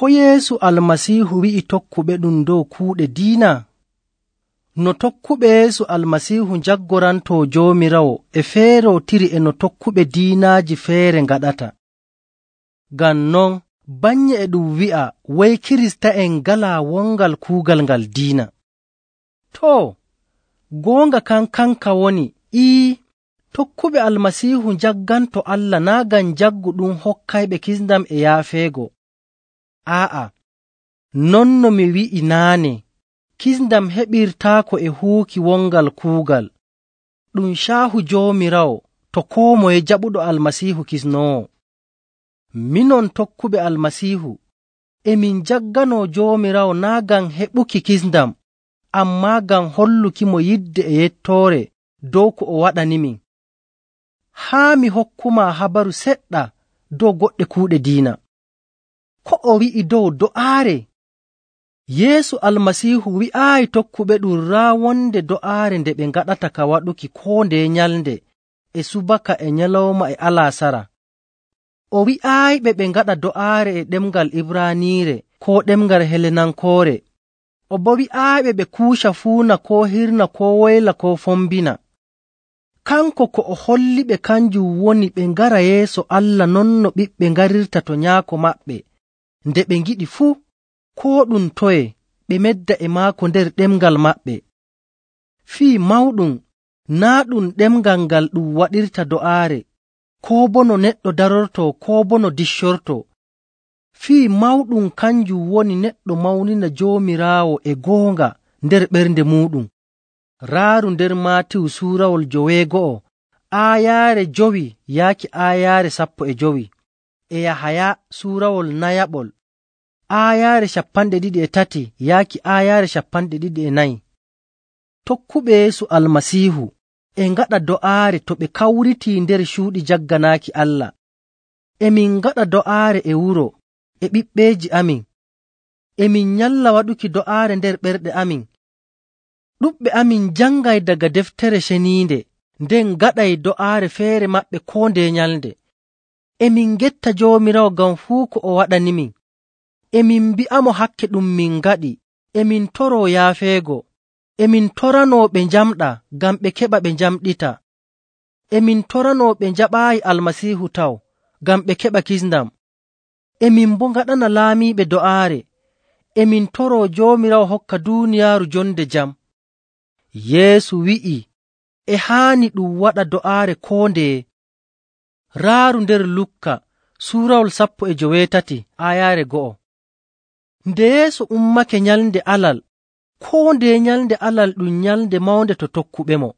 Ko Yeesu Almasiihu wi'i tokkuɓeɗum dow kuuɗe diina? No tokkuɓe Yeesu Almasiihu jaggorantoo Joomiraawo e feerootiri e no tokkuɓe diinaaji feere ngaɗata. Ngam non, bannye e ɗum wi'a woy Kirista'en ngalaa wongal kuugal ngal diina. Too, goonga kanka woni, tokkuɓe Almasiihu njagganto Allah naa' ngam njaggu ɗum hokkayɓe kisndam e yaafeego. Non no mi wi'i naane, kisndam heɓirtaako e huuki wongal kuugal. Ɗum caahu Joomiraawo to koo moye jaɓuɗo Almasiihu kisnoowo. Minon tokkuɓe Almasiihu, emin njagganoo Joomiraawo naa' ngam heɓuki kisndam, ammaa ngam hollukimo yidde e yettoore dow ko o waɗanimin. Haa mi hokkumaa habaru seɗɗa dow goɗɗe kuuɗe diina. Ko o wi'i dow do'aare? Yeesu Almasiihu wi'aayi tokkuɓeɗum raa wonde do'aare nde ɓe ngaɗata ka waɗuki koo ndeye nyalnde e subaka e nyalawma e alaasara. O wi'aayiɓe ɓe ngaɗa do'aare e ɗemngal Ibraaniire koo ɗemngal Helenankoore. O boo wi'aayiɓe ɓe kuuca fuuna koo hirna koo woyla koo fombina. Kanko ko o holliɓe kanjum woni ɓe ngara yeeso Allah non no ɓiɓɓe ngarirta to nyaako maɓɓe nde ɓe ngiɗi fuu, koo ɗum toye ɓe medda e maako nder ɗemngal maɓɓe. Fii mawɗum naa' ɗum ɗemngal ngal ɗum waɗirta do'aare, koo boo no neɗɗo darortoo koo boo no diccortoo. Fii mawɗum kanjum woni neɗɗo mawnina Joomiraawo e goonga nder ɓernde muuɗum. Raaru nder Maatiyu suurawol 9 aayaare 5 yaaki aayaare 15, e Yahaya suurawol 4 aayaare 23 yaaki aayaare 24. Tokkuɓe Yeesu Almasiihu e ngaɗa do'aare to ɓe kawritii nder cuuɗi jagganaaki Allah. Emin ngaɗa do'aare e wuro e ɓiɓɓeeji amin. Emin nyalla waɗuki do'aare nder ɓerɗe amin. Ɗuɗɓe amin jangay daga deftere ceniinde, nden ngaɗay do'aare feere maɓɓe koo ndeye nyalnde. Emin ngetta Joomiraawo ngam fuu ko o waɗanimin. Emin mbi'amo hakke ɗum min ngaɗi. Emin toroo yaafeego. Emin toranoo ɓe njamɗa ngam ɓe keɓa ɓe njamɗita. Emin toranoo ɓe njaɓaayi Almasiihu taw ngam ɓe keɓa kisndam. Emin boo ngaɗana laamiiɓe do'aare. Emin toroo Joomiraawo hokka duuniyaaru jonde jam. Yeesu wi'i e haani ɗum waɗa do'aare koo ndeye. Raaru nder Lukka suurawol 18 aayaare 1. Nde Yeesu ummake nyalnde Alal, koo ndeye nyalnde Alal ɗum nyalnde mawnde to tokkuɓemo.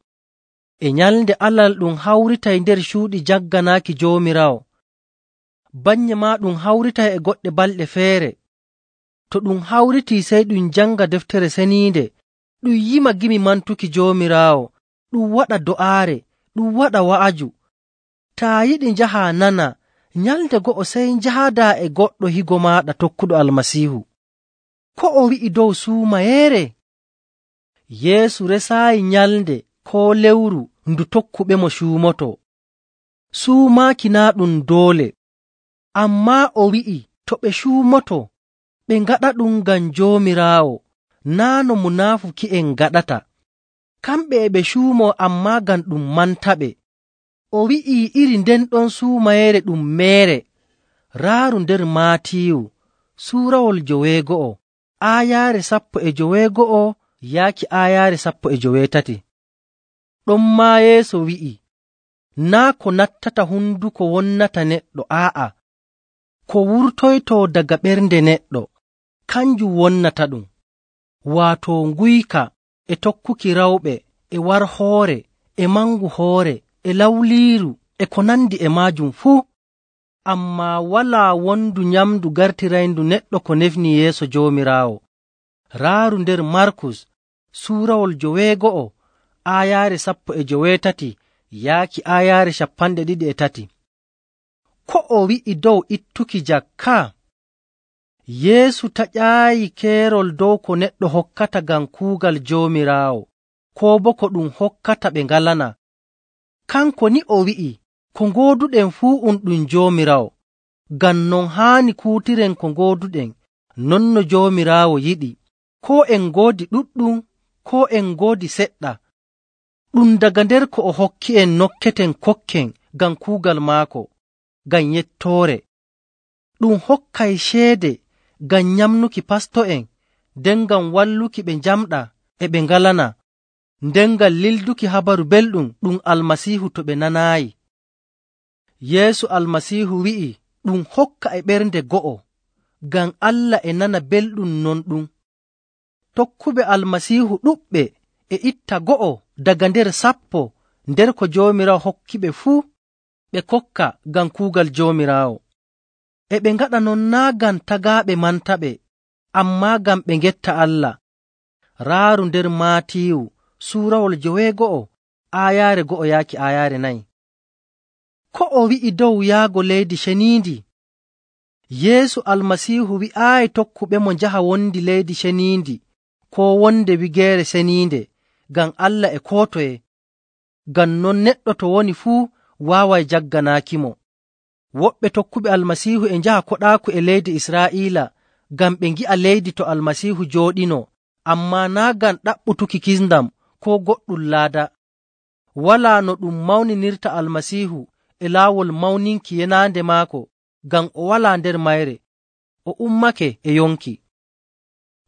E nyalnde Alal ɗum hawritay nder cuuɗi jagganaaki Joomiraawo. Bannye maa ɗum hawritay e goɗɗe balɗe feere. To ɗum hawritii sey ɗum janga deftere ceniinde, ɗum yima gimi mantuki Joomiraawo, ɗum waɗa do'aare, ɗum waɗa wa'aju. Taa yiɗi njahaa nana, nyalnde go'o sey njahaadaa e goɗɗo higo maaɗa tokkuɗo Almasiihu. Ko o wi'i dow suumayeere? Yeesu resaayi nyalnde koo lewru ndu tokkuɓemo cuumoto. Suumaaki naa' ɗum doole. Ammaa o wi'i to ɓe cuumoto, ɓe ngaɗa ɗum ngam Joomiraawo, naa' no munaafuki'en ngaɗata. Kamɓe e ɓe cuumoo ammaa ngam ɗum mantaɓe. O wi'ii iri nden ɗon suumayeere ɗum meere. Raaru nder Maatiyu suurawol 9 aayaare 19 yaaki aayaare 13. Ɗonmaa Yeesu wi'i, naa' ko nattata hunduko wonnata neɗɗo, ko wurtoytoo daga ɓernde neɗɗo, kanjum wonnata ɗum, waato nguyka e tokkuki rawɓe e warhoore e mangu hoore e lawliiru e ko nandi e maajum fuu. Ammaa walaa wondu nyamndu gartirayndu neɗɗo ko nefni yeeso Joomiraawo. Raaru nder Markus suurawol 9 aayaare 18 yaaki aayaare 23. Ko o wi'i dow ittuki jakka? Yeesu taƴaayi keerol dow ko neɗɗo hokkata ngam kuugal Joomiraawo, koo boo ko ɗum hokkata ɓe ngalana. Kanko ni o wi'i, ko ngooduɗen fuu ɗum Joomiraawo, ngam non haani kuutiren ko ngooduɗen non no Joomiraawo yiɗi, koo en ngoodi ɗuɗɗum, koo en ngoodi seɗɗa. Ɗum daga nder ko o hokki'en nokketen kokken ngam kuugal maako, ngam yettoore. Ɗum hokkay ceede ngam nyamnuki pasto'en, nden ngam walluki ɓe njamɗaa e ɓe ngalana, nden ngam lilduki habaru belɗum ɗum Almasiihu to ɓe nanaayi. Yeesu Almasiihu wi'i ɗum hokka e ɓernde go'o, ngam Allah e nana belɗum non ɗum. Tokkuɓe Almasiihu ɗuɗɓe e itta go'o daga nder sappo nder ko Joomiraawo hokkiɓe fuu, ɓe kokka ngam kuugal Joomiraawo. E ɓe ngaɗa non naa' ngam tagaaɓe mantaɓe, ammaa ngam ɓe ngetta Allah. Raaru nder Maatiyu suurawol 9 aayaare 1 yaaki aayaare 4. Ko o wi'i dow yahgo leydi ceniindi? Yeesu Almasiihu wi'aayi tokkuɓemo njaha wondi leydi ceniindi koo wonde wigeere ceniinde, ngam Allah e koo toye. Ngam non neɗɗo to woni fuu waaway jagganaakimo. Woɓɓe tokkuɓe Almasiihu e njaha koɗaaku e leydi Israa'iila ngam ɓe ngi'a leydi to Almasiihu jooɗinoo, ammaa naa' ngam ɗaɓɓutuki kisndam koo goɗɗum laada. Walaa no ɗum mawninirta Almasiihu e laawol mawninki yenaande maako, ngam o walaa nder mayre, o ummake e yonki.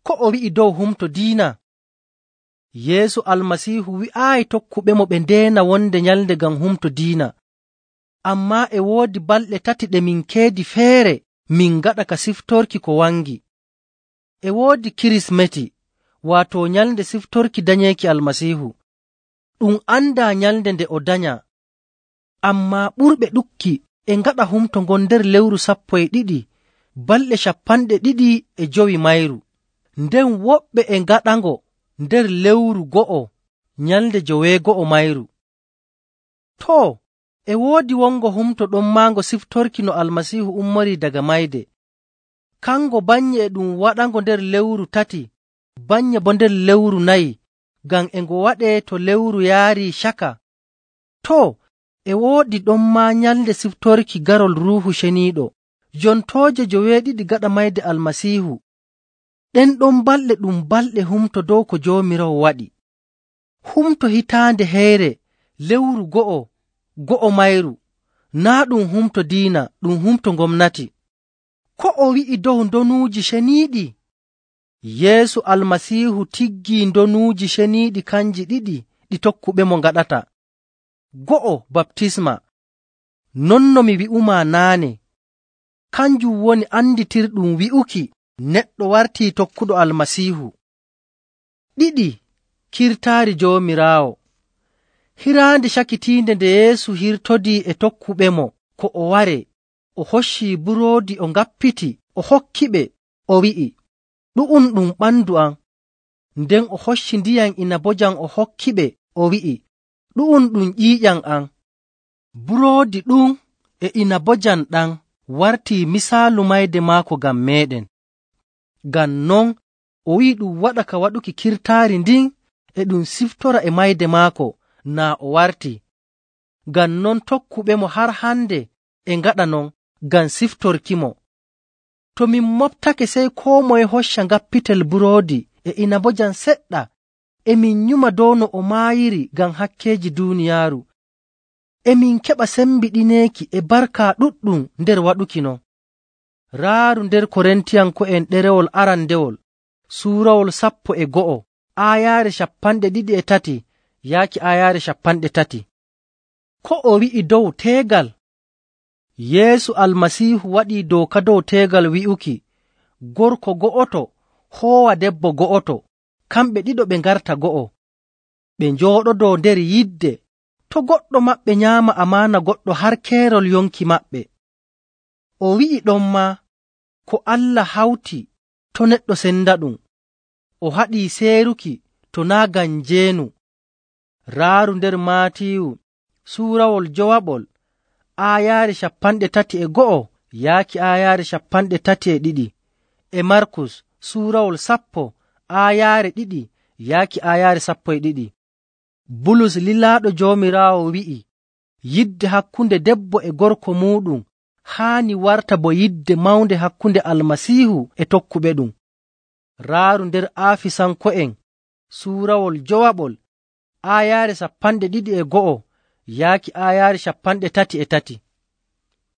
Ko o wi'i dow humto diina? Yeesu Almasiihu wi'aayi tokkuɓemo ɓe ndeena wonde nyalnde ngam humto diina. Ammaa e woodi balɗe 3 ɗe min keedi feere min ngaɗa ka siftorki ko wangi. E woodi Kirismeti, waato nyalnde siftorki danyeeki Almasiihu. Ɗum andaa nyalnde nde o danya. Ammaa ɓurɓe ɗukki e ngaɗa humto ngon nder lewru 12, balɗe 25 mayru. Nden woɓɓe e ngaɗango nder lewru 1, nyalnde 9 mayru. Too, e woodi wongo humto ɗon maango siftorki no Almasiihu ummorii daga mayde. Kango bannye e ɗum waɗango nder lewru 3, bannye bo nder lewru 4, ngam e ngo waɗee to lewru yaarii caka. Too, e woodi ɗon maa nyalnde siftorki garol Ruuhu Ceniiɗo, jontooje 2 gaɗa mayde Almasiihu. Ɗen ɗon balɗe ɗum balɗe humto dow ko Joomiraawo waɗi. Humto hitaande heyre lewru 1 mayru, naa' ɗum humto diina, ɗum humto gomnati. Ko o wi'i dow ndonuuji ceniiɗi? Yeesu Almasiihu tiggii ndonuuji ceniiɗi kanji 2 ɗi tokkuɓemo ngaɗata. 1, baptisma. Non no mi wi'umaa naane, kanjum woni anditirɗum wi'uki neɗɗo wartii tokkuɗo Almasiihu. 2, kirtaari Joomiraawo. Hiraande cakitiinde nde Yeesu hirtodii e tokkuɓemo ko o ware, o hoccii buroodi o ngappiti, o hokkiɓe, o wi'i, ɗu'um ɗum ɓandu am. Nden o hocci ndiyam inabojam o hokkiɓe, o wi'i, ɗu'um ɗum ƴiiƴam am. Buroodi ɗum e inabojam ɗam wartii misaalu mayde maako ngam meeɗen. Ngam non o wi'i ɗum waɗa ka waɗuki kirtaari ndin e ɗum siftora e mayde maako naa o warti. Ngam non tokkuɓemo har hande e ngaɗa non ngam siftorkimo. To min moftake sey koo moye hocca ngappitel buroodi e inabojam seɗɗa, e min nyuma dow no o maayiri ngam hakkeeji duuniyaaru. E min keɓa sembiɗineeki e barka ɗuɗɗum nder waɗuki non. Raaru nder Korintiyanko'en ɗerewol arandewol, suurawol 11, aayaare 23 yaaki aayaare 30. Ko o wi'i dow teegal? Yeesu Almasiihu waɗii dooka dow teegal wi'uki, gorko go'oto hoowa debbo go'oto, kamɓe ɗiɗo ɓe ngarta go'o. Ɓe njooɗodoo nder yidde, to goɗɗo maɓɓe nyaama amaana goɗɗo har keerol yonki maɓɓe. O wi'i ɗon maa, ko Allah hawti to neɗɗo senda ɗum. O haɗii seeruki to naa' ngam njeenu. Raaru nder Maatiyu suurawol 9, aayaare 31 yaaki aayaare 32, e Markus suurawol 10, aayaare 2 yaaki aayaare 12. Bulus lilaaɗo Joomiraawo wi'i, yidde hakkunde debbo e gorko muuɗum haani warta bo yidde mawnde hakkunde Almasiihu e tokkuɓeɗum. Raaru nder Aafisanko'en suurawol jowaɓol aayaare 21 yaaki aayaare 33.